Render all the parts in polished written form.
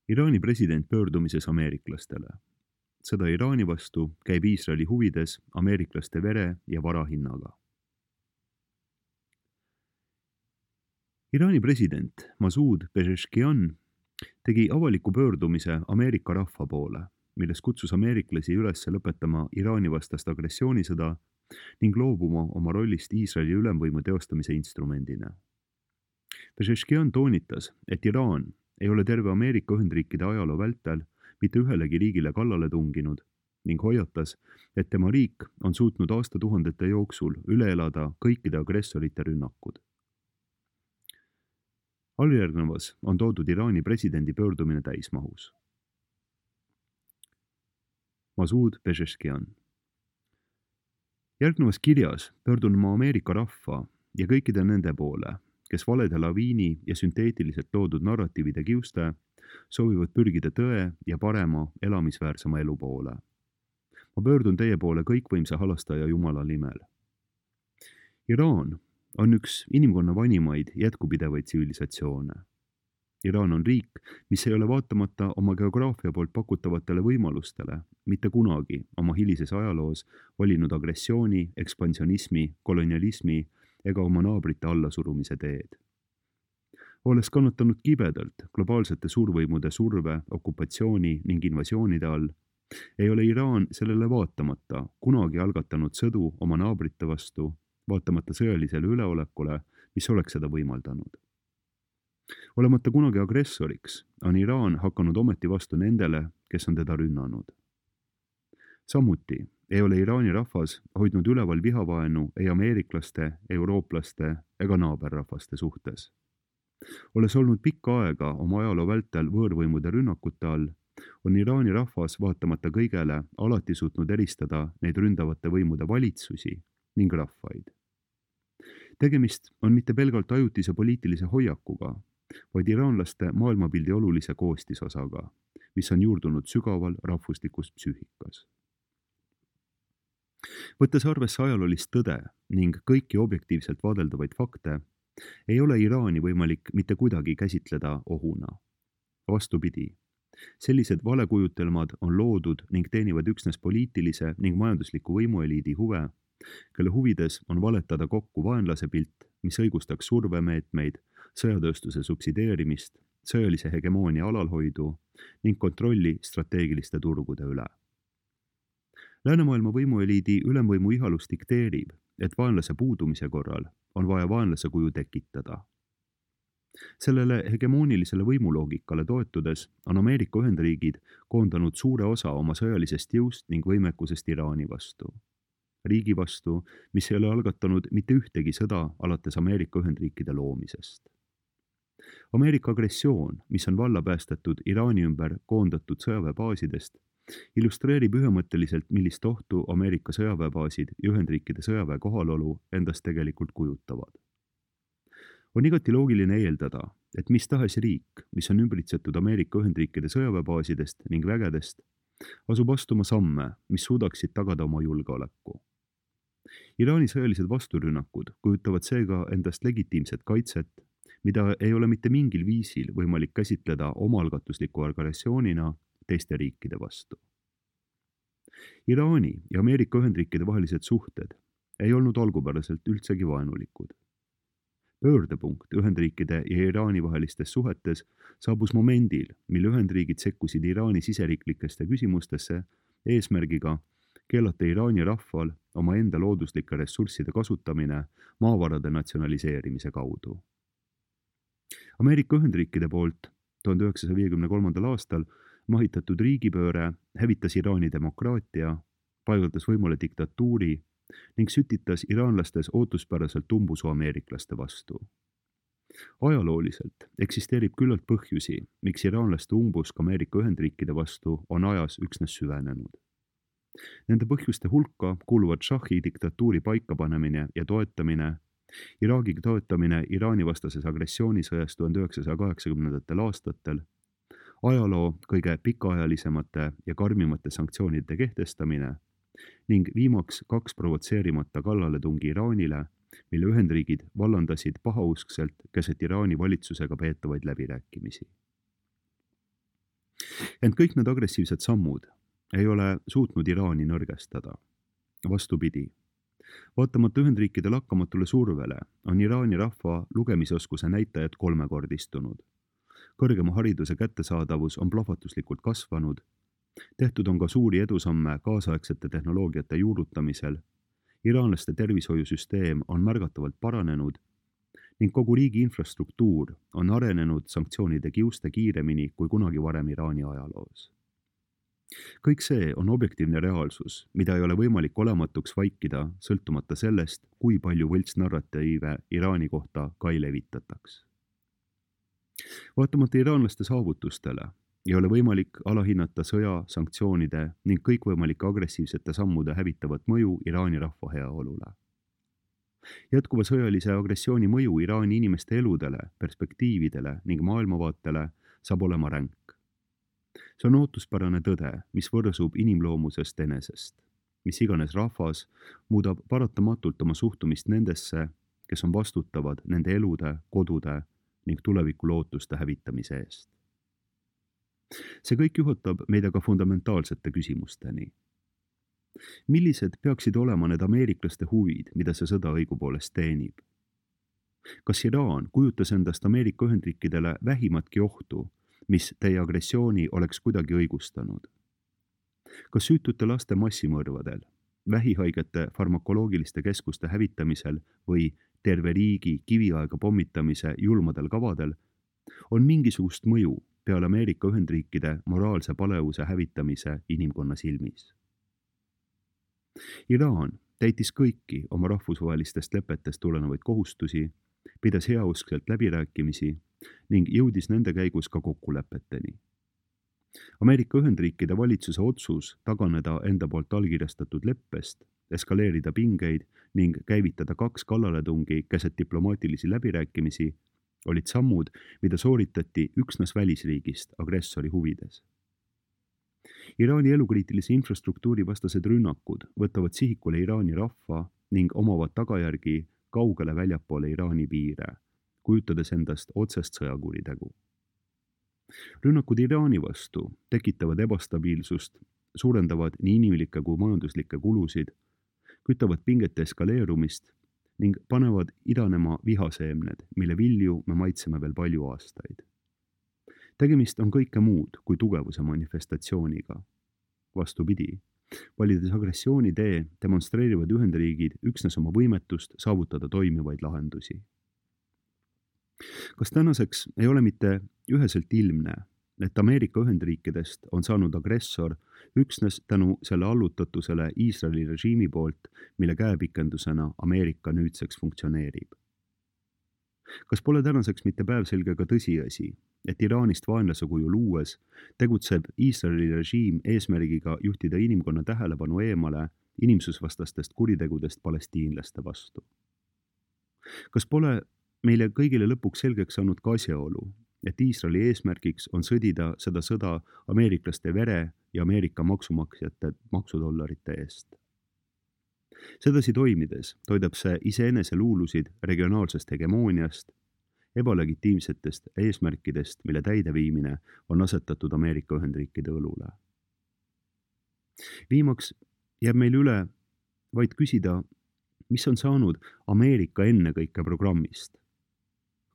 Iraani president pöördumises ameeriklastele. Sõda Iraani vastu käib Iisraeli huvides ameeriklaste vere ja vara hinnaga. Iraani president Masoud Pezeshkian tegi avaliku pöördumise Ameerika rahva poole, milles kutsus ameeriklasi üles lõpetama Iraani vastast agressioonisõda ning loobuma oma rollist Iisraeli ülemvõimu teostamise instrumendina. Pezeshkian toonitas, et Iraan ei ole terve Ameerika Ühendriikide ajaloo vältel mitte ühelegi riigile kallale tunginud ning hoiatas, et tema riik on suutnud aastatuhandete jooksul üle elada kõikide agressorite rünnakud. Alljärgnevas on toodud Iraani presidendi pöördumine täismahus. Masoud Pezeshkian. Järgnevas kirjas pöördun ma Ameerika rahva ja kõikide nende poole, kes valede laviini ja sünteetiliselt loodud narratiivide kiuste soovivad pürgida tõe ja parema, elamisväärsema elu poole. Ma pöördun teie poole kõikvõimsa halastaja Jumala nimel. Iraan on üks inimkonna vanimaid jätkupidevaid tsivilisatsioone. Iraan on riik, mis ei ole vaatamata oma geograafia poolt pakutavatele võimalustele mitte kunagi oma hilises ajaloos valinud agressiooni, ekspansionismi, kolonialismi ega oma naabrite allasurumise teed. Olles kannatanud kibedalt globaalsete suurvõimude surve, okupatsiooni ning invasioonide all, ei ole Iraan sellele vaatamata kunagi algatanud sõdu oma naabrite vastu, vaatamata sõjalisele üleolekule, mis oleks seda võimaldanud. Olemata kunagi agressoriks, on Iraan hakanud ometi vastu nendele, kes on teda rünnanud. Samuti ei ole Iraani rahvas hoidnud üleval vihavaenu ei ameeriklaste, eurooplaste ega naaberrahvaste suhtes. Olles olnud pikka aega oma ajaloo vältel võõrvõimude rünnakute all, on Iraani rahvas vaatamata kõigele alati suutnud eristada neid ründavate võimude valitsusi ning rahvaid. Tegemist on mitte pelgalt ajutise poliitilise hoiakuga, vaid iraanlaste maailmapildi olulise koostisosaga, mis on juurdunud sügaval rahvuslikus psüühikas. Võttes arvesse ajaloolist tõde ning kõiki objektiivselt vaadeldavaid fakte, ei ole Iraani võimalik mitte kuidagi käsitleda ohuna. Vastupidi, sellised valekujutelmad on loodud ning teenivad üksnes poliitilise ning majandusliku võimueliidi huve, kelle huvides on valetada kokku vaenlase pilt, mis õigustaks survemeetmeid, sõjatööstuse subsideerimist, sõjalise hegemoonia alalhoidu ning kontrolli strateegiliste turgude üle. Läänemaailma võimueliidi ülemvõimu ihalus dikteerib, et vaenlase puudumise korral on vaja vaenlase kuju tekitada. Sellele hegemoonilisele võimuloogikale toetudes on Ameerika Ühendriigid koondanud suure osa oma sõjalisest jõust ning võimekusest Iraani vastu. Riigi vastu, mis ei ole algatanud mitte ühtegi sõda alates Ameerika Ühendriikide loomisest. Ameerika agressioon, mis on valla päästetud Iraani ümber koondatud sõjaväebaasidest, illustreerib ühemõtteliselt, millist ohtu Ameerika sõjaväebaasid ja Ühendriikide sõjaväe kohalolu endast tegelikult kujutavad. On igati loogiline eeldada, et mis tahes riik, mis on ümbritsetud Ameerika Ühendriikide sõjaväebaasidest ning vägedest, asub astuma samme, mis suudaksid tagada oma julgeoleku. Iraani sõjalised vasturünnakud kujutavad seega endast legitiimset kaitset, mida ei ole mitte mingil viisil võimalik käsitleda omaalgatusliku agressioonina teiste riikide vastu. Iraani ja Ameerika Ühendriikide vahelised suhted ei olnud algupäraselt üldsegi vaenulikud. Pöördepunkt Ühendriikide ja Iraani vahelistes suhetes saabus momendil, mil Ühendriigid sekkusid Iraani siseriiklikesse küsimustesse eesmärgiga keelata Iraani rahval oma enda looduslike ressursside kasutamine maavarade natsionaliseerimise kaudu. Ameerika Ühendriikide poolt 1953. aastal mahitatud riigipööre hävitas Iraani demokraatia, paigaldas võimule diktatuuri ning sütitas iraanlastes ootuspäraselt umbusu ameeriklaste vastu. Ajalooliselt eksisteerib küllalt põhjusi, miks iraanlaste umbusk Ameerika Ühendriikide vastu on ajas üksnes süvenenud. Nende põhjuste hulka kuuluvad šahi diktatuuri paikapanemine ja toetamine, Iraagi toetamine Iraani vastases agressioonisõjas 1980. aastatel, ajaloo kõige pikaajalisemate ja karmimate sanktsioonide kehtestamine ning viimaks 2 provotseerimata kallaletungi Iraanile, mille Ühendriigid vallandasid pahauskselt keset Iraani valitsusega peetavaid läbirääkimisi. Ent kõik need agressiivsed sammud ei ole suutnud Iraani nõrgestada. Vastupidi, vaatamata Ühendriikide lakkamatule survele on Iraani rahva lugemisoskuse näitajad kolmekordistunud. Kõrgema hariduse kättesaadavus on plahvatuslikult kasvanud, tehtud on ka suuri edusamme kaasaegsete tehnoloogiate juurutamisel, iraanlaste tervishoiusüsteem on märgatavalt paranenud ning kogu riigi infrastruktuur on arenenud sanktsioonide kiuste kiiremini kui kunagi varem Iraani ajaloos. Kõik see on objektiivne reaalsus, mida ei ole võimalik olematuks vaikida, sõltumata sellest, kui palju võltsnarratiive Iraani kohta ka ei levitataks. Vaatamata iraanlaste saavutustele ei ole võimalik alahinnata sõja, sanktsioonide ning kõikvõimalike agressiivsete sammude hävitavat mõju Iraani rahva heaolule. Jätkuva sõjalise agressiooni mõju Iraani inimeste eludele, perspektiividele ning maailmavaatele saab olema ränk. See on ootuspärane tõde, mis võrsub inimloomusest enesest. Mis iganes rahvas muudab paratamatult oma suhtumist nendesse, kes on vastutavad nende elude, kodude ning tuleviku lootuste hävitamise eest. See kõik juhatab meid aga fundamentaalsete küsimusteni. Millised peaksid olema need ameeriklaste huvid, mida see sõda õigupoolest teenib? Kas Iraan kujutas endast Ameerika Ühendriikidele vähimatki ohtu, mis teie agressiooni oleks kuidagi õigustanud? Kas süütute laste massimõrvadel, vähihaigete farmakoloogiliste keskuste hävitamisel või terve riigi kiviaega pommitamise julmadel kavadel on mingisugust mõju peale Ameerika Ühendriikide moraalse palevuse hävitamise inimkonna silmis? Iraan täitis kõiki oma rahvusvahelistest lepetest tulenevaid kohustusi, pidas heauskselt läbirääkimisi ning jõudis nende käigus ka kokkulepeteni. Ameerika Ühendriikide valitsuse otsus taganeda enda poolt allkirjastatud leppest, eskaleerida pingeid ning käivitada 2 kallaletungi keset diplomaatilisi läbirääkimisi olid sammud, mida sooritati üksnes välisriigist agressori huvides. Iraani elukriitilise infrastruktuuri vastased rünnakud võtavad sihikule Iraani rahva ning omavad tagajärgi kaugele väljapoole Iraani piire, kujutades endast otsest sõjakuritegu. Rünnakud Iraani vastu tekitavad ebastabiilsust, suurendavad nii inimlikke kui majanduslikke kulusid, kütavad pingete eskaleerumist ning panevad idanema vihaseemned, mille vilju me maitseme veel palju aastaid. Tegemist on kõike muud kui tugevuse manifestatsiooniga. Vastupidi, valides agressioonitee demonstreerivad Ühendriigid üksnes oma võimetust saavutada toimivaid lahendusi. Kas tänaseks ei ole mitte üheselt ilmne, et Ameerika Ühendriikidest on saanud agressor üksnes tänu selle allutatusele Iisraeli režiimi poolt, mille käepikendusena Ameerika nüüdseks funktsioneerib? Kas pole tänaseks mitte päevselge ka tõsiasi, et Iraanist vaenlase kujul luues tegutseb Iisraeli režiim eesmärgiga juhtida inimkonna tähelepanu eemale inimsusvastastest kuritegudest palestiinlaste vastu? Kas pole meile kõigile lõpuks selgeks saanud ka asjaolu, et Iisraeli eesmärgiks on sõdida seda sõda ameeriklaste vere ja Ameerika maksumaksjate maksudollarite eest? Sedasi toimides toidab see iseenese luulusid regionaalsest hegemooniast, ebalegitiimsetest eesmärkidest, mille täideviimine on asetatud Ameerika Ühendriikide õlule. Viimaks jääb meil üle vaid küsida, mis on saanud Ameerika ennekõike programmist?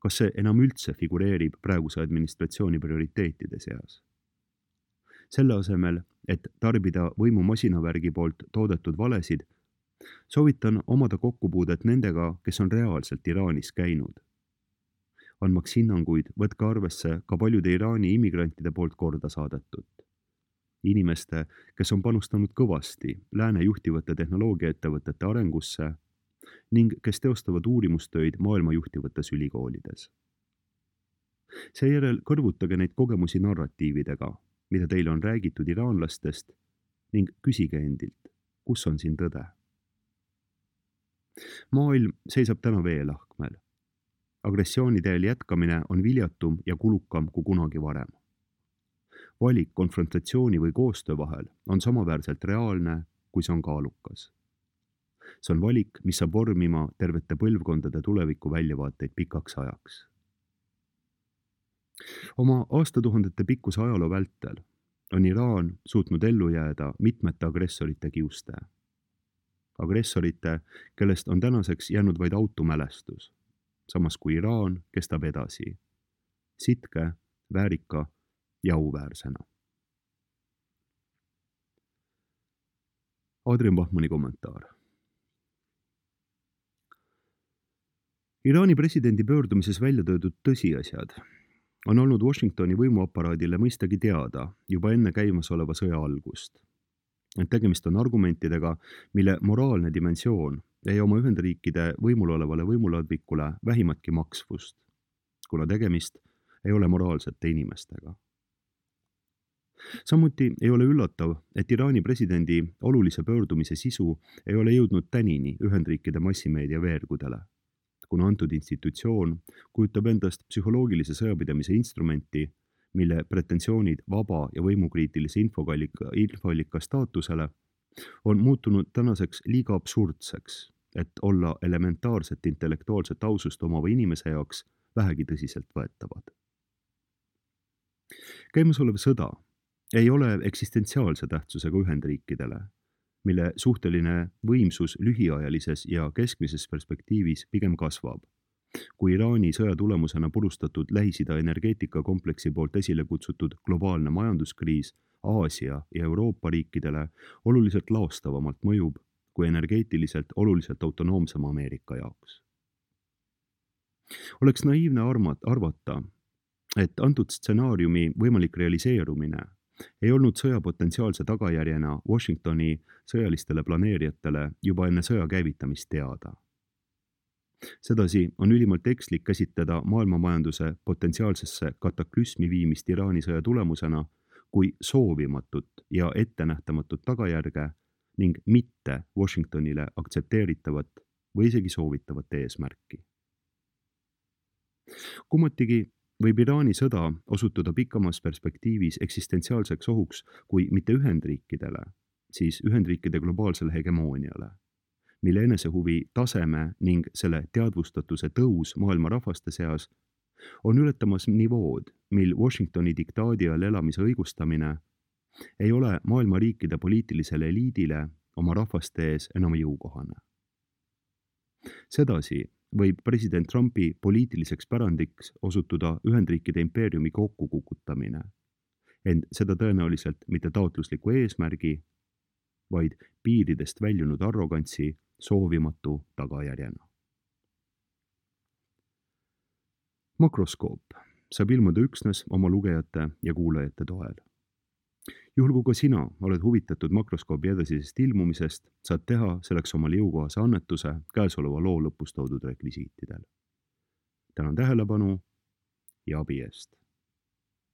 Kas see enam üldse figureerib praeguse administratsiooni prioriteetide seas? Selle asemel, et tarbida võimumasinavärgi poolt toodetud valesid, soovitan omada kokkupuudet nendega, kes on reaalselt Iraanis käinud. Andmaks hinnanguid, võtke arvesse ka paljude Iraani immigrantide poolt korda saadetut. Inimeste, kes on panustanud kõvasti lääne juhtivate tehnoloogiaettevõtete arengusse ning kes teostavad uurimustöid maailma juhtivates ülikoolides. Seejärel kõrvutage neid kogemusi narratiividega, mida teile on räägitud iraanlastest ning küsige endilt, kus on siin tõde. Maailm seisab täna veelahkmel. Agressiooniteel jätkamine on viljatum ja kulukam kui kunagi varem. Valik konfrontatsiooni või koostöö vahel on samaväärselt reaalne, kui see on kaalukas. See on valik, mis saab vormima tervete põlvkondade tuleviku väljavaateid pikaks ajaks. Oma aastatuhandete pikkuse ajaloo vältel on Iraan suutnud ellu jääda mitmete agressorite kiuste. Agressorite, kellest on tänaseks jäänud vaid automälestus, samas kui Iraan kestab edasi, sitke, väärika ja auväärsena. Adrian Bachmanni kommentaar. Iraani presidendi pöördumises välja töödud tõsiasjad on olnud Washingtoni võimuaparaadile mõistagi teada juba enne käimasoleva sõja algust. Ent tegemist on argumentidega, mille moraalne dimensioon ei oma Ühendriikide võimul olevale võimuladvikule vähimatki maksvust, kuna tegemist ei ole moraalsete inimestega. Samuti ei ole üllatav, et Iraani presidendi olulise pöördumise sisu ei ole jõudnud tänini Ühendriikide massimeedia veergudele, kuna antud institutsioon kujutab endast psühholoogilise sõjapidamise instrumenti, mille pretensioonid vaba ja võimukriitilise infoallika staatusele on muutunud tänaseks liiga absurdseks, et olla elementaarset intellektuaalset ausust omava inimese jaoks vähegi tõsiselt võetavad. Käimasolev sõda ei ole eksistentsiaalse tähtsusega Ühendriikidele, mille suhteline võimsus lühiajalises ja keskmises perspektiivis pigem kasvab, kui Iraani sõja tulemusena purustatud Lähis-Ida energeetikakompleksi poolt esile kutsutud globaalne majanduskriis Aasia ja Euroopa riikidele oluliselt laostavamalt mõjub kui energeetiliselt oluliselt autonoomsema Ameerika jaoks. Oleks naiivne arvata, et antud stsenaariumi võimalik realiseerumine ei olnud sõja potentsiaalse tagajärjena Washingtoni sõjalistele planeerijatele juba enne sõja käivitamist teada. Sedasi on ülimalt ekslik käsitleda maailmamajanduse potentsiaalsesse kataklüsmi viimist Iraani sõja tulemusena kui soovimatut ja ettenähtamatut tagajärge ning mitte Washingtonile aktsepteeritavat või isegi soovitavat eesmärki. Kummatigi võib Iraani sõda osutuda pikamas perspektiivis eksistentsiaalseks ohuks kui mitte Ühendriikidele, siis Ühendriikide globaalsele hegemooniale, mille enesehuvi taseme ning selle teadvustatuse tõus maailma rahvaste seas on ületamas nivood, mil Washingtoni diktaadi all elamise õigustamine ei ole maailma riikide poliitilisele eliidile oma rahvaste ees enam jõukohane. Sedasi võib president Trumpi poliitiliseks pärandiks osutuda Ühendriikide impeeriumi kokkukukutamine, ent seda tõenäoliselt mitte taotlusliku eesmärgi, vaid piiridest väljunud arrogantsi soovimatu tagajärjena. Makroskoop saab ilmuda üksnes oma lugejate ja kuulajate toel. Juhul kui ka sina oled huvitatud Makroskoobi edasisest ilmumisest, saad teha selleks omale jõukohase annetuse käesoleva loo lõpus toodud rekvisiitidel. Tänan tähelepanu ja abi eest!